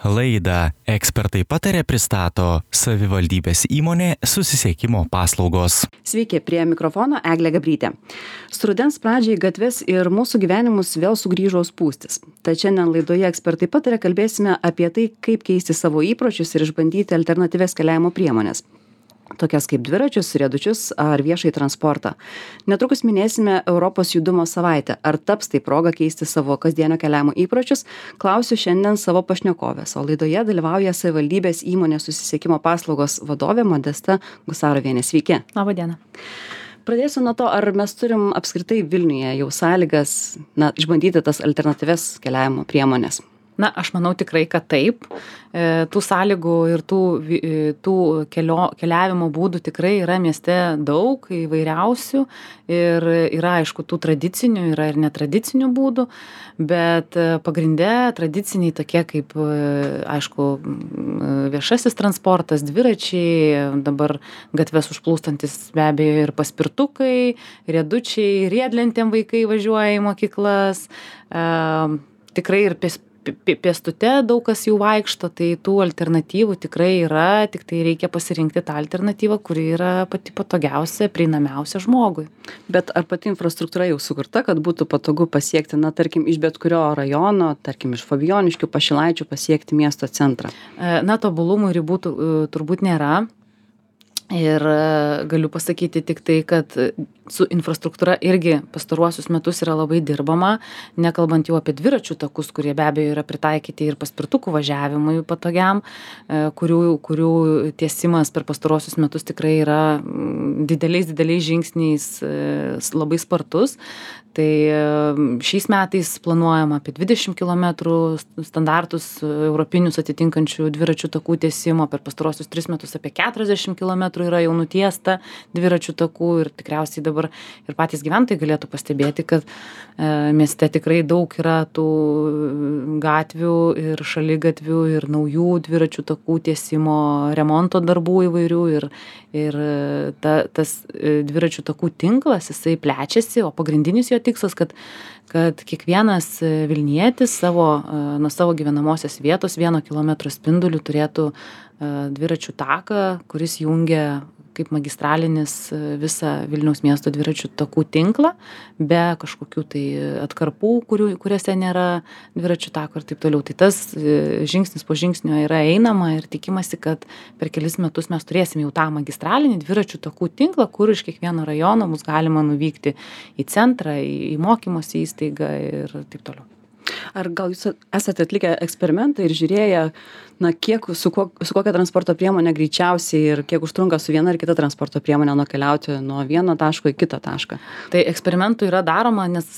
Laidą Ekspertai patarė pristato savivaldybės įmonė Susisiekimo paslaugos. Sveiki, prie mikrofono Eglė Gabrytė. Su rudens pradžiai gatves ir mūsų gyvenimus vėl sugrįžo spūstis. Tad šiandien laidoje Ekspertai patarė kalbėsime apie tai, kaip keisti savo įpročius ir išbandyti alternatyvias keliavimo priemonės, tokias kaip dviračius, riedučius ar viešai transportą. Netrukus minėsime Europos judumo savaitę. Ar taps tai proga keisti savo kasdienio keliavimo įpročius? Klausiu šiandien savo pašnekovės, o laidoje dalyvauja savivaldybės įmonės Susisiekimo paslaugos vadovė Modesta Gusarovienė. Sveiki. Labą dieną. Pradėsiu nuo to, ar mes turim apskritai Vilniuje jau sąlygas išbandyti tas alternatyvias keliavimo priemonės. Na, aš manau tikrai, kad taip. Tų sąlygų ir tų keliavimo būdų tikrai yra mieste daug, įvairiausių. Ir yra, aišku, tų tradicinių, yra ir netradicinių būdų, bet pagrinde tradiciniai tokie kaip, aišku, viešasis transportas, dviračiai, dabar gatves užplūstantis be abejo ir paspirtukai, riedučiai, riedlentėm vaikai važiuoja į mokyklas, tikrai ir pėstute daug kas jau vaikšto, tai tų alternatyvų tikrai yra, tik tai reikia pasirinkti tą alternatyvą, kuri yra pati patogiausia, prieinamiausia žmogui. Bet ar pati infrastruktūra jau sukurta, kad būtų patogu pasiekti, tarkim, iš bet kurio rajono, tarkim, iš Fabijoniškių, Pašilaičių pasiekti miesto centrą? Tobulumų ribų turbūt nėra. Ir galiu pasakyti tik tai, kad su infrastruktūra irgi pastaruosius metus yra labai dirbama, nekalbant jau apie dviračių takus, kurie be abejo yra pritaikyti ir paspirtukų važiavimui patogiam, kurių tiesimas per pastaruosius metus tikrai yra dideliais žingsniais labai spartus. Tai šiais metais planuojama apie 20 km standartus europinius atitinkančių dviračių takų tiesimo, per pastaruosius 3 metus apie 40 km yra jau nutiesta dviračių takų ir tikriausiai dabar ir patys gyventojai galėtų pastebėti, kad mieste tikrai daug yra tų gatvių ir šaligatvių ir naujų dviračių takų tiesimo remonto darbų įvairių ir tas dviračių takų tinklas, jisai plečiasi, o pagrindinis jo tikslas, kad kiekvienas Vilnietis nuo savo gyvenamosios vietos 1 kilometro spinduliu turėtų dviračių taką, kuris jungia kaip magistralinis visą Vilniaus miesto dviračių takų tinklą, be kažkokių tai atkarpų, kuriuose nėra dviračių tako ir taip toliau. Tai tas žingsnis po žingsnio yra einama ir tikimasi, kad per kelis metus mes turėsim jau tą magistralinį dviračių takų tinklą, kur iš kiekvieno rajono bus galima nuvykti į centrą, į mokymosi įstaigą ir taip toliau. Ar gal jūs esate atlikę eksperimentą ir žiūrėję, kiek su kokia transporto priemonė greičiausiai ir kiek užtrunka su viena ar kita transporto priemonė nukeliauti nuo vieno taško į kitą tašką? Tai eksperimentų yra daroma, nes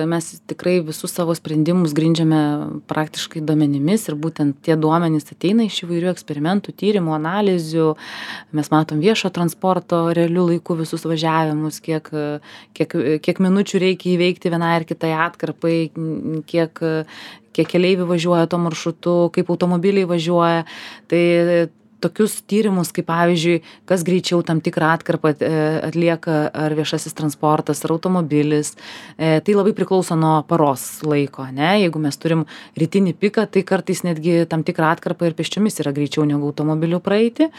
mes tikrai visus savo sprendimus grindžiame praktiškai duomenimis ir būtent tie duomenys ateina iš įvairių eksperimentų, tyrimų, analizių. Mes matom viešo transporto realių laikų visus važiavimus, kiek minučių reikia įveikti vienai ar kitai atkarpai, kiek keleivių važiuoja tuo maršrutu, kaip automobiliai važiuoja. Tai tokius tyrimus, kaip pavyzdžiui, kas greičiau tam tikrą atkarpą atlieka, ar viešasis transportas, ar automobilis. Tai labai priklauso nuo paros laiko, ne? Jeigu mes turim rytinį piką, tai kartais netgi tam tikrą atkarpą ir pėsčiomis yra greičiau negu automobiliu praeiti.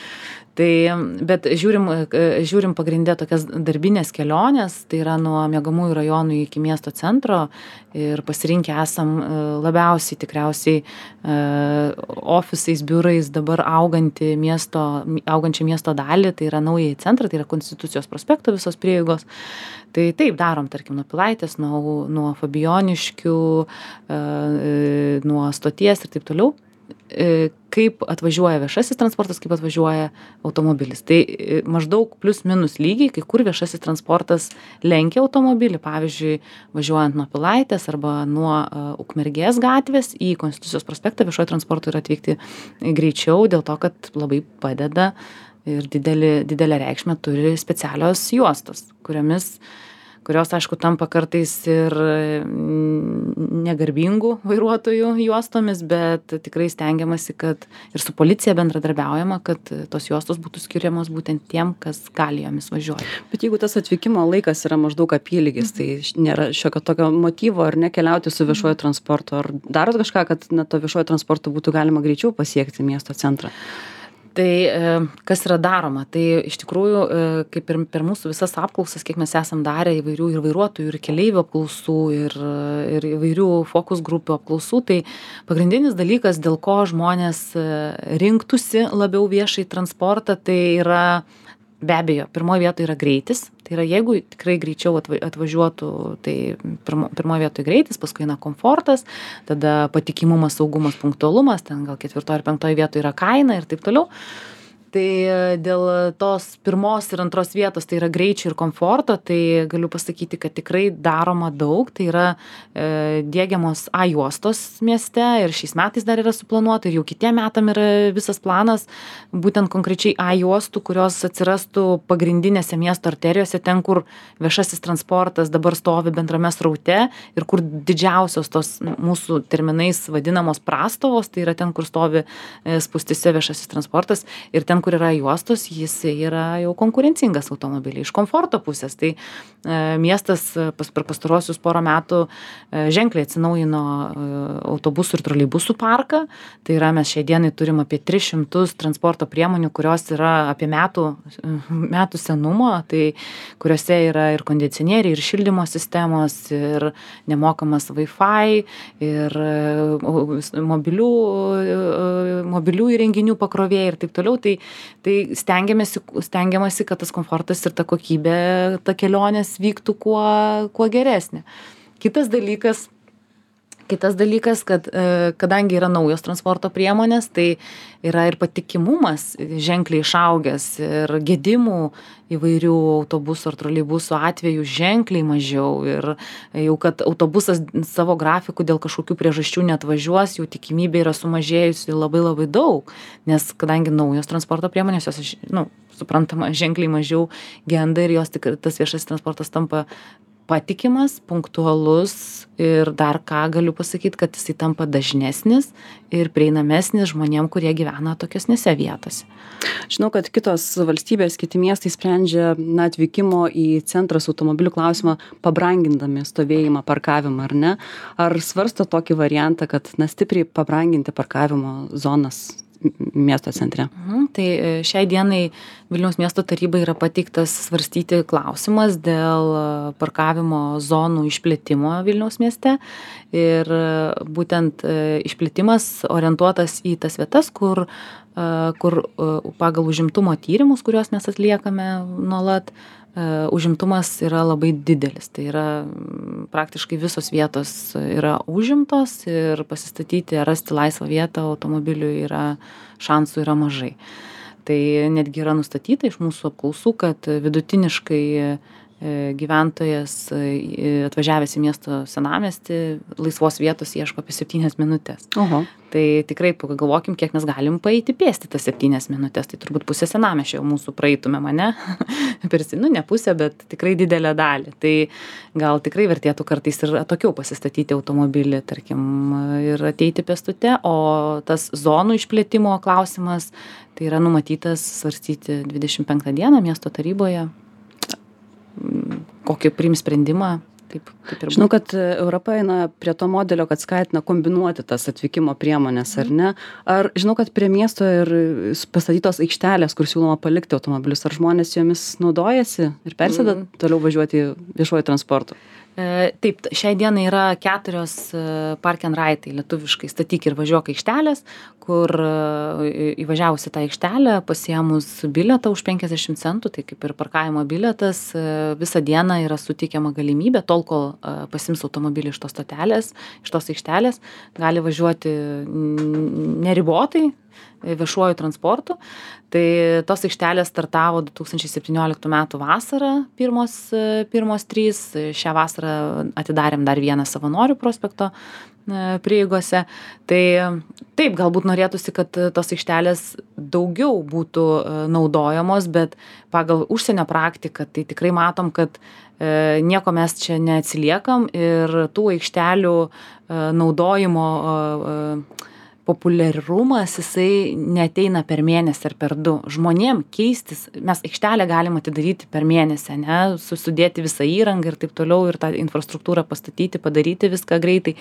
Bet žiūrim pagrindę tokias darbinės kelionės, tai yra nuo miegamųjų rajonų iki miesto centro ir pasirinkę esam labiausiai tikriausiai ofisais, biurais dabar augančią miesto dalį, tai yra naująjį centrą, tai yra Konstitucijos prospekto visos prieigos. Tai taip darom, tarkim, nuo Pilaitės, nuo Fabijoniškių, nuo stoties ir taip toliau. Kaip atvažiuoja viešasis transportas, kaip atvažiuoja automobilis. Tai maždaug plius minus lygiai, kai kur viešasis transportas lenkia automobilį, pavyzdžiui, važiuojant nuo Pilaitės arba nuo Ukmergės gatvės į Konstitucijos prospektą viešojo transporto yra atvykti greičiau, dėl to, kad labai padeda ir didelę reikšmę turi specialios juostos, kuriomis kurios, aišku, tampa kartais ir negarbingų vairuotojų juostomis, bet tikrai stengiamasi, kad ir su policija bendradarbiaujama, kad tos juostos būtų skiriamos būtent tiem, kas gali jomis važiuoti. Bet jeigu tas atvykimo laikas yra maždaug apylygis, tai nėra šiokio tokio motyvo ar nekeliauti su viešuoju transportu, ar darot kažką, kad to viešuoju transportu būtų galima greičiau pasiekti miesto centrą? Tai kas yra daroma? Tai iš tikrųjų, kaip ir per mūsų visas apklausas, kiek mes esam darę įvairių ir vairuotojų, ir keleivių apklausų, ir įvairių fokus grupių apklausų, tai pagrindinis dalykas, dėl ko žmonės rinktųsi labiau viešai transportą, tai yra be abejo, pirmoje vietoje yra greitis. Tai yra, jeigu tikrai greičiau atvažiuotų, tai pirmoje vietoje greitis, paskui eina komfortas, tada patikimumas, saugumas, punktualumas, ten gal 4 ar 5 vietoje yra kaina ir taip toliau. Tai dėl tos pirmos ir antros vietos, tai yra greičio ir komforto, tai galiu pasakyti, kad tikrai daroma daug. Tai yra diegiamos A juostos mieste ir šiais metais dar yra suplanuota ir jau kitiem metam yra visas planas, būtent konkrečiai A juostų, kurios atsirastų pagrindinėse miesto arterijose, ten, kur viešasis transportas dabar stovi bendrame sraute ir kur didžiausios tos mūsų terminais vadinamos prastovos, tai yra ten, kur stovi spūstyse viešasis transportas ir ten, kur yra juostos, jis yra jau konkurencingas automobiliai iš komforto pusės. Tai miestas per pastaruosius porą metų ženkliai atsinaujino autobusų ir troleibusų parką. Tai yra, mes šiai dienai turim apie 300 transporto priemonių, kurios yra apie metų senumo, tai kuriuose yra ir kondicionieriai, ir šildymo sistemos, ir nemokamas Wi-Fi, ir mobilių įrenginių pakrovėjai ir taip toliau. Tai stengiamasi, kad tas komfortas ir ta kokybė, ta kelionės vyktų kuo geresnė. Kitas dalykas, kad kadangi yra naujos transporto priemonės, tai yra ir patikimumas ženkliai išaugęs ir gedimų įvairių autobusų ar troleibusų atveju ženkliai mažiau. Ir jau, kad autobusas savo grafikų dėl kažkokių priežasčių neatvažiuos, jau tikimybė yra sumažėjusi labai labai daug. Nes kadangi naujos transporto priemonės, jos, suprantama, ženkliai mažiau genda ir jos tikrai tas viešasis transportas tampa patikimas, punktualus ir dar ką galiu pasakyti, kad jisai tampa dažnesnis ir prieinamesnis žmonėm, kurie gyvena tokiesnėse vietose. Žinau, kad kitos valstybės, kiti miestai sprendžia atvykimo į centrą su automobiliu klausimą pabrangindami stovėjimą, parkavimą, ar ne? Ar svarsto tokį variantą, kad stipriai pabranginti parkavimo zonas miesto centre? Tai šiai dienai Vilniaus miesto tarybai yra pateiktas svarstyti klausimas dėl parkavimo zonų išplėtimo Vilniaus mieste. Ir būtent išplėtimas orientuotas į tas vietas, kur pagal užimtumo tyrimus, kuriuos mes atliekame nuolat, užimtumas yra labai didelis. Tai yra praktiškai visos vietos yra užimtos ir pasistatyti, rasti laisvą vietą automobiliui šansų yra mažai. Tai netgi yra nustatyta iš mūsų apklausų, kad vidutiniškai gyventojas atvažiavęs į miesto senamiestį laisvos vietos ieško apie 7 minutės. Oho. Tai tikrai pagalvokim, kiek mes galim paeiti pėsti tas 7 minutės. Tai turbūt pusę senamiesčio jau mūsų praeitumėm, ane? Ne pusę, bet tikrai didelę dalį. Tai gal tikrai vertėtų kartais ir atokiau pasistatyti automobilį, tarkim, ir ateiti pėstute, o tas zonų išplėtimo klausimas tai yra numatytas svarstyti 25 dieną miesto taryboje. Kokį priims sprendimą. Taip ir žinau, kad Europa eina prie to modelio, kad skatina kombinuoti tas atvykimo priemonės, ar ne? Ar žinau, kad prie miesto ir pastatytos aikštelės, kur siūloma palikti automobilius, ar žmonės jomis naudojasi ir persėda toliau važiuoti viešuoju transportu? Taip, šiai dienai yra 4 park and ride, lietuviškai statyk ir važiuok aikštelės, kur įvažiavusi tą aikštelę, pasiėmus bilietą už 50 centų, tai kaip ir parkavimo bilietas, visą dieną yra suteikiama galimybė, tol kol pasiims automobilį iš tos stotelės, iš tos aikštelės, gali važiuoti neribotai viešuoju transportu. Tai tos aikštelės startavo 2017 metų vasarą, pirmos 3. Šią vasarą atidarėm dar vieną Savanorių prospekto prieigose. Tai taip, galbūt norėtųsi, kad tos aikštelės daugiau būtų naudojamos, bet pagal užsienio praktiką tai tikrai matom, kad nieko mes čia neatsiliekam ir tų aikštelių naudojimo populiarumas jisai neateina per mėnesį ar per 2. Žmonėm keistis, mes aikštelę galim atidaryti per mėnesį, ne, sudėti visą įrangą ir taip toliau ir tą infrastruktūrą pastatyti, padaryti viską greitai,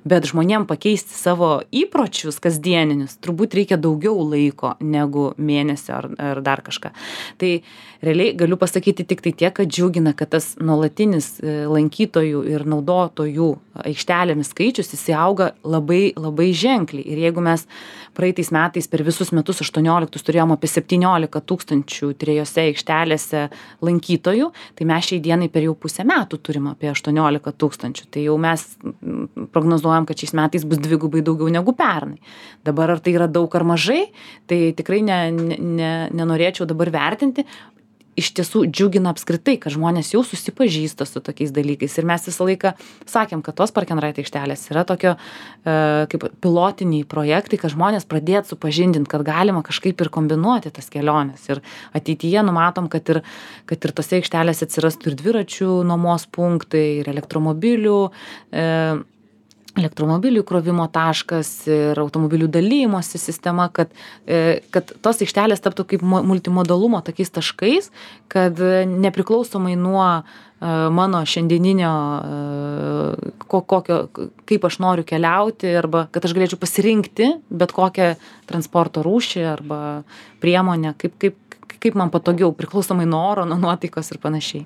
bet žmonėm pakeisti savo įpročius kasdieninius, turbūt reikia daugiau laiko negu mėnesio ar dar kažką. Tai realiai galiu pasakyti tik tai tiek, kad džiugina, kad tas nuolatinis lankytojų ir naudotojų aikštelėmis skaičius jis auga labai, labai ženkliai. Ir jeigu mes praeitais metais per visus metus 18 turėjom apie 17 000 3 aikštelėse lankytojų, tai mes šiai dienai per jau pusę metų turim apie 18 000. Tai jau mes prognozuojam, kad šiais metais bus dvigubai daugiau negu pernai. Dabar ar tai yra daug ar mažai, tai tikrai nenorėčiau dabar vertinti. Iš tiesų džiugina apskritai, kad žmonės jau susipažįsta su tokiais dalykais. Ir mes visą laiką sakėm, kad tos Park and Ride aikštelės yra tokio kaip pilotiniai projektai, kad žmonės pradėtų supažindinti, kad galima kažkaip ir kombinuoti tas keliones. Ir ateityje numatom, kad ir tose aikštelėse atsirastų ir dviračių nuomos punktai, ir elektromobilių įkrovimo taškas ir automobilių dalijimosi sistema, kad tos aikštelės taptų kaip multimodalumo tokiais taškais, kad nepriklausomai nuo mano šiandieninio, kaip aš noriu keliauti, arba kad aš galėčiau pasirinkti bet kokią transporto rūšį arba priemonę, kaip man patogiau, priklausomai nuo oro, nuo nuotaikos ir panašiai.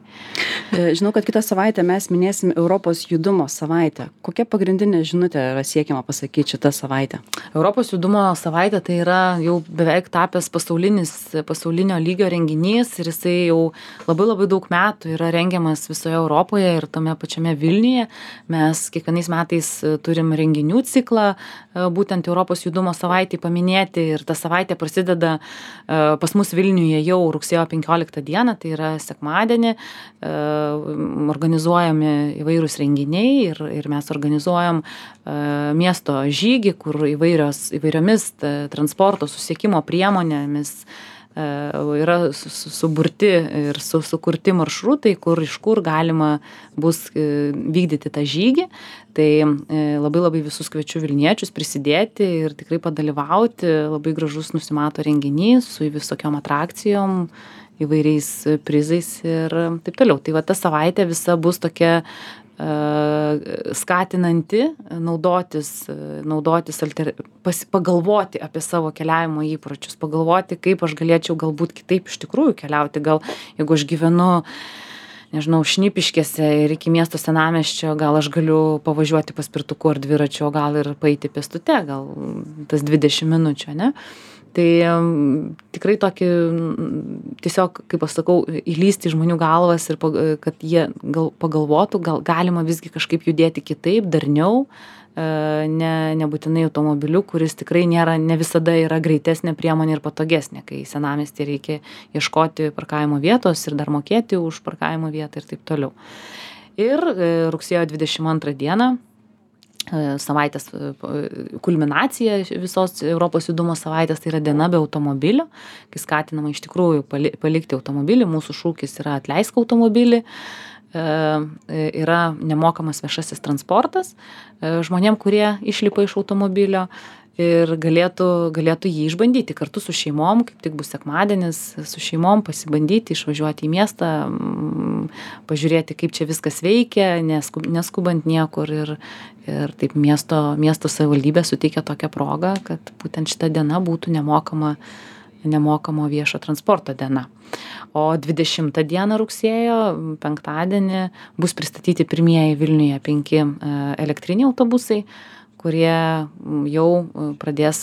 Žinau, kad kitą savaitę mes minėsim Europos judumo savaitę. Kokia pagrindinė žinutė yra siekiama pasakyti šitą savaitę? Europos judumo savaitė tai yra jau beveik tapęs pasaulinio lygio renginys ir jisai jau labai labai daug metų yra rengiamas visoje Europoje ir tame pačiame Vilniuje. Mes kiekvienais metais turim renginių ciklą, būtent Europos judumo savaitį paminėti ir ta savaitė prasideda pas mus Vilniuje jau rugsėjo 15 dieną, tai yra sekmadienį, organizuojami įvairūs renginiai ir mes organizuojam miesto žygį, kur įvairiomis transporto susisiekimo priemonėmis yra suburti ir sukurti maršrutai, iš kur galima bus vykdyti tą žygį. Tai labai labai visus kviečiu Vilniečius prisidėti ir tikrai padalyvauti. Labai gražus nusimato renginys su visokiom atrakcijom, įvairiais prizais ir taip toliau. Tai va ta savaitė visa bus tokia skatinanti naudotis pagalvoti apie savo keliavimo įpročius, pagalvoti, kaip aš galėčiau galbūt kitaip iš tikrųjų keliauti. Gal jeigu aš gyvenu, nežinau, Šnipiškėse ir iki miesto senamiesčio, gal aš galiu pavažiuoti paspirtuku ar dviračiu, o gal ir paeiti pėstute, gal tas 20 minučių, ne? Tai tikrai tokį, tiesiog, kaip aš sakau, įlysti į žmonių galvas ir kad jie pagalvotų, gal galima visgi kažkaip judėti kitaip, darniau, nebūtinai automobiliu, kuris tikrai ne visada yra greitesnė priemonė ir patogesnė, kai senamiesty reikia ieškoti parkavimo vietos ir dar mokėti už parkavimo vietą ir taip toliau. Ir rugsėjo 22 dieną savaitės kulminacija visos Europos judumo savaitės, tai yra diena be automobilio, kai skatinama iš tikrųjų palikti automobilį. Mūsų šūkis yra atleisk automobilį. Yra nemokamas viešasis transportas žmonėm, kurie išlipa iš automobilio ir galėtų jį išbandyti kartu su šeimom, kaip tik bus sekmadienis, su šeimom pasibandyti, išvažiuoti į miestą, pažiūrėti, kaip čia viskas veikia, neskubant niekur ir taip miesto savivaldybė suteikia tokią progą, kad būtent šita diena būtų nemokamo viešo transporto diena. O 20 dieną rugsėjo, penktadienį, bus pristatyti pirmieji Vilniuje 5 elektriniai autobusai, kurie jau pradės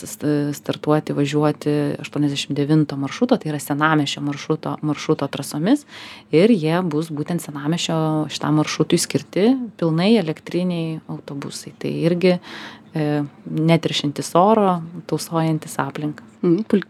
startuoti, važiuoti 89 maršruto, tai yra senamiesčio maršruto trasomis ir jie bus būtent senamiesčio šitam maršrutui skirti pilnai elektriniai autobusai. Tai irgi neteršiantis oro, tausojantis aplinką.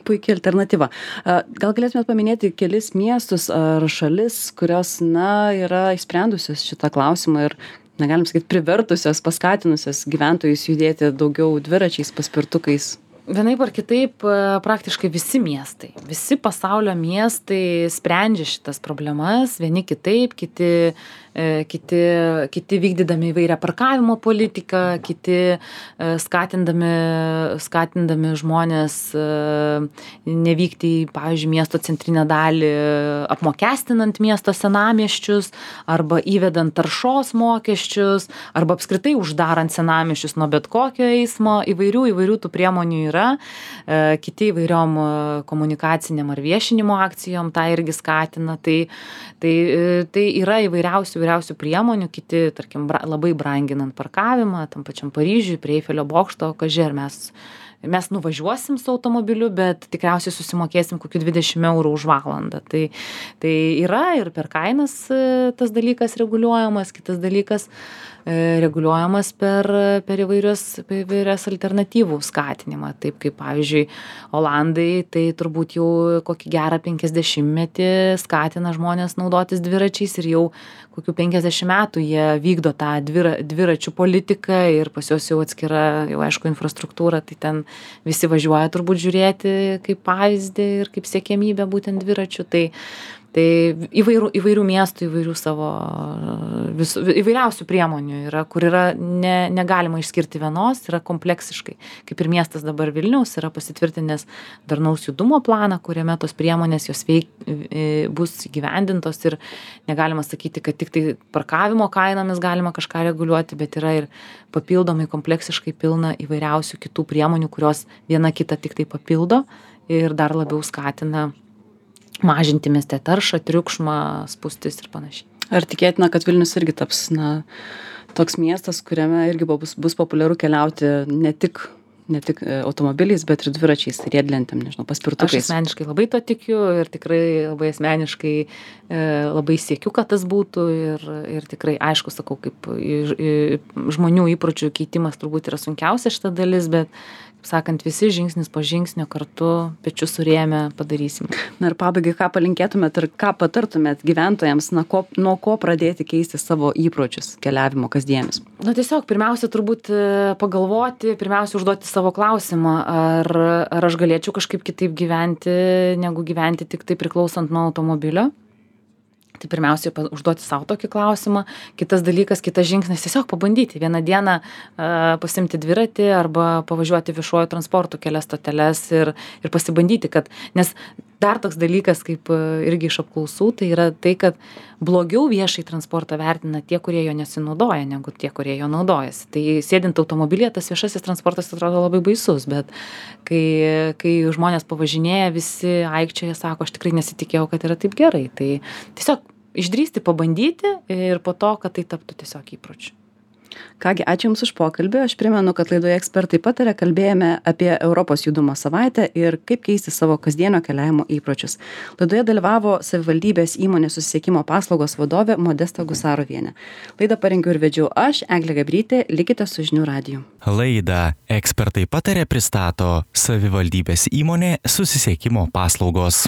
Puikia alternatyva. Gal galėtumėt paminėti kelis miestus ar šalis, kurios yra išsprendusios šitą klausimą ir negalim sakyt, privertusios, paskatinusios gyventojus judėti daugiau dviračiais, paspirtukais? Vienaip ar kitaip, praktiškai visi miestai, visi pasaulio miestai sprendžia šitas problemas, vieni kitaip, kiti vykdydami įvairią parkavimo politiką, kiti skatindami žmonės nevykti į, pavyzdžiui, miesto centrinę dalį, apmokestinant miesto senamiesčius, arba įvedant taršos mokesčius, arba apskritai uždarant senamiesčius nuo bet kokio eismo, įvairių tų priemonių yra, kiti įvairiom komunikaciniam ar viešinimo akcijom tą irgi skatina, tai yra įvairiausių priemonių, kiti, tarkim, labai branginant parkavimą, tam pačiam Paryžiui, prie Eifelio bokšto, kaži, ar mes nuvažiuosim su automobiliu, bet tikriausiai susimokėsim kokių 20 eurų už valandą. Tai yra ir per kainas tas dalykas reguliuojamas, kitas dalykas reguliuojamas per įvairias alternatyvų skatinimą. Taip kaip, pavyzdžiui, Olandai, tai turbūt jau kokį gerą 50-metį skatina žmonės naudotis dviračiais ir jau kokių 50 metų jie vykdo tą dviračių politiką ir pas juos jau atskira, jau aišku, infrastruktūra, tai ten visi važiuoja turbūt žiūrėti kaip pavyzdį ir kaip siekiamybę būtent dviračių. Tai įvairių miestų, įvairiausių priemonių yra, kur yra negalima išskirti vienos, yra kompleksiškai. Kaip ir miestas dabar Vilniaus yra pasitvirtinęs darnaus judumo planą, kuriame tos priemonės jos bus įgyvendintos ir negalima sakyti, kad tik tai parkavimo kainomis galima kažką reguliuoti, bet yra ir papildomai kompleksiškai pilna įvairiausių kitų priemonių, kurios viena kitą tik tai papildo ir dar labiau skatina mažinti mieste taršą, triukšmą, spūstis ir panašiai. Ar tikėtina, kad Vilnius irgi taps, toks miestas, kuriame irgi bus populiaru keliauti ne tik automobiliais, bet ir dviračiais, riedlentėm, paspirtukais? Aš asmeniškai labai to tikiu ir tikrai labai asmeniškai labai siekiu, kad tas būtų ir tikrai, aišku, sakau, kaip žmonių įpročių keitimas turbūt yra sunkiausia šita dalis, bet sakant, visi žingsnis po žingsnio kartu pečius surėmę padarysim. Na ir pabaigai, ką palinkėtumėt ir ką patartumėt gyventojams, nuo ko pradėti keisti savo įpročius keliavimo kasdienius? Tiesiog pirmiausia turbūt pagalvoti, pirmiausia užduoti savo klausimą, ar aš galėčiau kažkaip kitaip gyventi, negu gyventi tik tai priklausant nuo automobilio. Tai pirmiausia, užduoti savo tokį klausimą. Kitas dalykas, kitas žingsnis, tiesiog pabandyti vieną dieną pasimti dviratį arba pavažiuoti viešuoju transportu kelias stoteles ir pasibandyti, nes dar toks dalykas, kaip irgi iš apklausų, tai yra tai, kad blogiau viešai transportą vertina tie, kurie jo nesinaudoja, negu tie, kurie jo naudojasi. Tai sėdint automobilyje, tas viešasis transportas atrodo labai baisus, bet kai žmonės pavažinėja, visi aikčioje sako, aš tikrai nesitikėjau, kad yra taip gerai. Tai tiesiog išdrįsti, pabandyti ir po to, kad tai taptų tiesiog įpročiu. Kągi, ačiū Jums už pokalbį. Aš primenu, kad laidoje Ekspertai pataria kalbėjome apie Europos judumo savaitę ir kaip keisti savo kasdienio keliavimo įpročius. Laidoje dalyvavo savivaldybės įmonės susisiekimo paslaugos vadovė Modesta Gusarovienė. Laidą parengiau ir vedžiau aš, Eglė Gabrytė, likite su Žinių radiju. Laidą Ekspertai pataria pristato savivaldybės įmonė susisiekimo paslaugos.